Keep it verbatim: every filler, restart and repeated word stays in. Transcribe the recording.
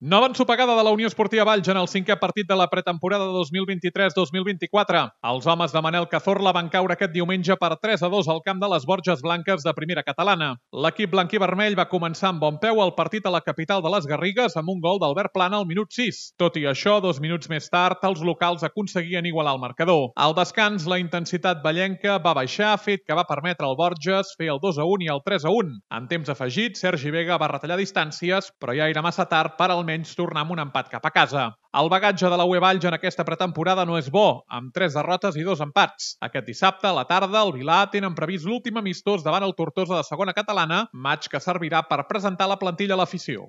Nova ensopegada de la Unió Esportiva Valls en el cinquè partit de la pretemporada dos mil vint-i-tres dos mil vint-i-quatre. Els homes de Manel Cazorla van caure aquest diumenge per tres a dos al camp de les Borges Blanques de primera catalana. L'equip blanquivermell va començar amb bon peu el partit a la capital de les Garrigues amb un gol d'Albert Plana al minut sis. Tot i això, dos minuts més tard, els locals aconseguien igualar el marcador. Al descans, la intensitat vallenca va baixar, fet que va permetre al Borges fer el dos a un i el tres a un. En temps afegit, Sergi Vega va retallar distàncies, però ja era massa tard per almenys tornar amb un empat cap a casa. El bagatge de la U E Valls en aquesta pretemporada no és bo, amb tres derrotes i dos empats. Aquest dissabte, a la tarda, el Vilà tenen previst l'últim amistós davant el Tortosa de segona catalana, matx que servirà per presentar la plantilla a l'afició.